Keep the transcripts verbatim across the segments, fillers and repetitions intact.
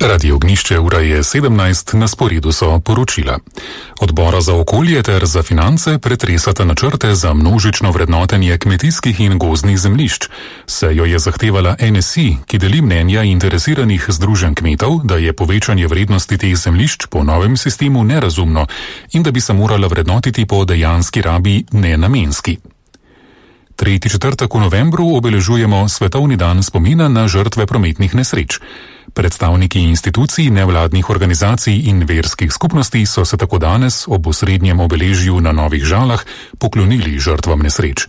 Radio Ognišče, ura je sedemnajst, na sporedu so poročila. Odbora za okolje ter za finance pretresata načrte za množično vrednotenje kmetijskih in gozdnih zemljišč. Sejo je zahtevala N S I, ki deli mnenja interesiranih združenj kmetov, da je povečanje vrednosti teh zemljišč po novem sistemu nerazumno in da bi se morala vrednotiti po dejanski rabi, ne namenski. tretji četrtek v novembru obeležujemo Svetovni dan spomina na žrtve prometnih nesreč. Predstavniki institucij, nevladnih organizacij in verskih skupnosti so se tako danes ob osrednjem obeležju na Novih Žalah poklonili žrtvam nesreč.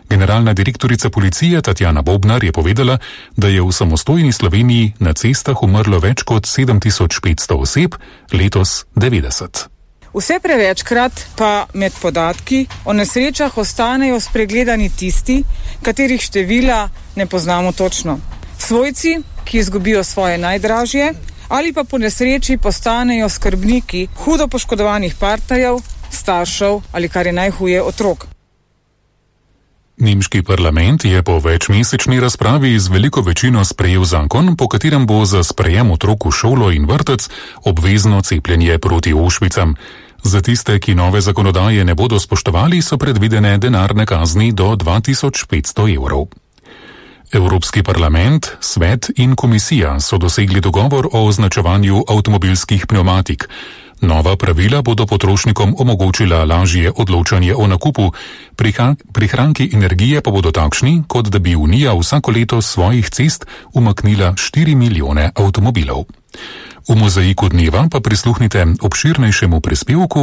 Generalna direktorica policije Tatjana Bobnar je povedala, da je v samostojni Sloveniji na cestah umrlo več kot sedem tisoč petsto oseb, letos devetdeset. Vse prevečkrat pa med podatki o nesrečah ostanejo spregledani tisti, katerih števila ne poznamo točno. Svojci, ki izgubijo svoje najdražje, ali pa po nesreči postanejo skrbniki hudo poškodovanih partnerjev, staršev ali, kar je najhuje, otrok. Nemški parlament je po večmesečni razpravi z veliko večino sprejel zakon, po katerem bo za sprejem otrok v šolo in vrtec obvezno cepljenje proti ošpicam. Za tiste, ki nove zakonodaje ne bodo spoštovali, so predvidene denarne kazni do dva tisoč petsto evrov. Evropski parlament, svet in komisija so dosegli dogovor o označevanju avtomobilskih pnevmatik. Nova pravila bodo potrošnikom omogočila lažje odločanje o nakupu, prihranki energije pa bodo takšni, kot da bi Unija vsako leto svojih cest umaknila štiri milijone avtomobilov. V mozaiku dneva pa prisluhnite obširnejšemu prispevku